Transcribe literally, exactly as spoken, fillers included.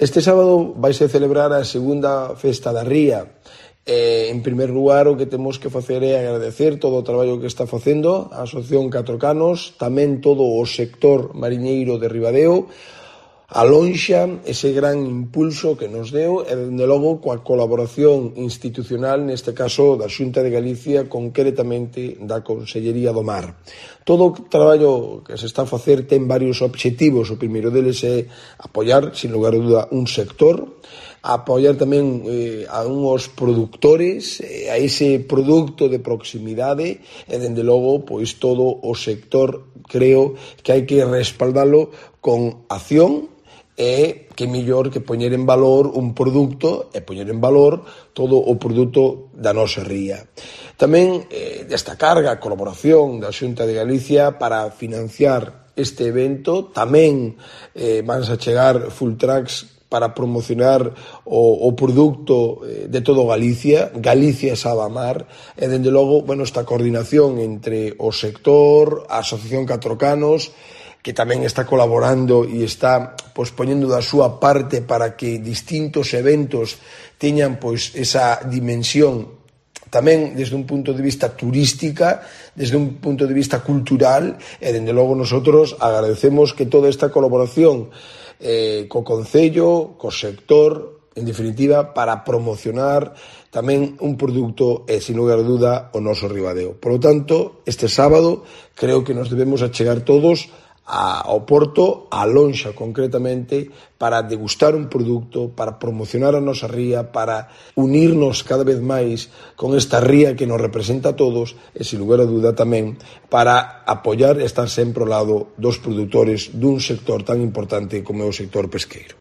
Este sábado vaise celebrar a segunda festa da ría. Eh, en primer lugar, o que temos que facer é agradecer todo o traballo que está facendo a Asociación Catro Canos, tamén todo o sector mariñeiro de Ribadeo, a Lonxa, ese gran impulso que nos deu e, dende logo, coa colaboración institucional, neste caso da Xunta de Galicia, concretamente da Consellería do Mar. Todo o traballo que se está a facer ten varios obxectivos. O primeiro deles é apoiar, sin lugar a dúda, un sector, apoiar tamén eh, a unhos produtores, eh, a ese produto de proximidade e, dende logo, pois todo o sector, creo que hai que respaldalo con acción e que mellor que poñer en valor un produto e poñer en valor todo o produto da nosa ría. Tamén eh, destacar a colaboración da Xunta de Galicia para financiar este evento. Tamén eh, van a chegar full trucks para promocionar o, o produto de todo Galicia, Galicia sabe amar, e, dende logo, bueno, esta coordinación entre o sector, a Asociación Catro Canos, que tamén está colaborando e está pois poñendo da súa parte para que distintos eventos teñan pois esa dimensión tamén desde un punto de vista turística, desde un punto de vista cultural, e dende logo nosotros agradecemos que toda esta colaboración eh, co Concello, co sector, en definitiva, para promocionar tamén un produto e, sin lugar a dúda, o noso Ribadeo. Por lo tanto, este sábado creo que nos debemos achegar todos ao Porto, a Lonxa concretamente, para degustar un produto, para promocionar a nosa ría, para unirnos cada vez máis con esta ría que nos representa a todos e, sin lugar a dúda, tamén para apoiar e estar sempre ao lado dos produtores dun sector tan importante como é o sector pesqueiro.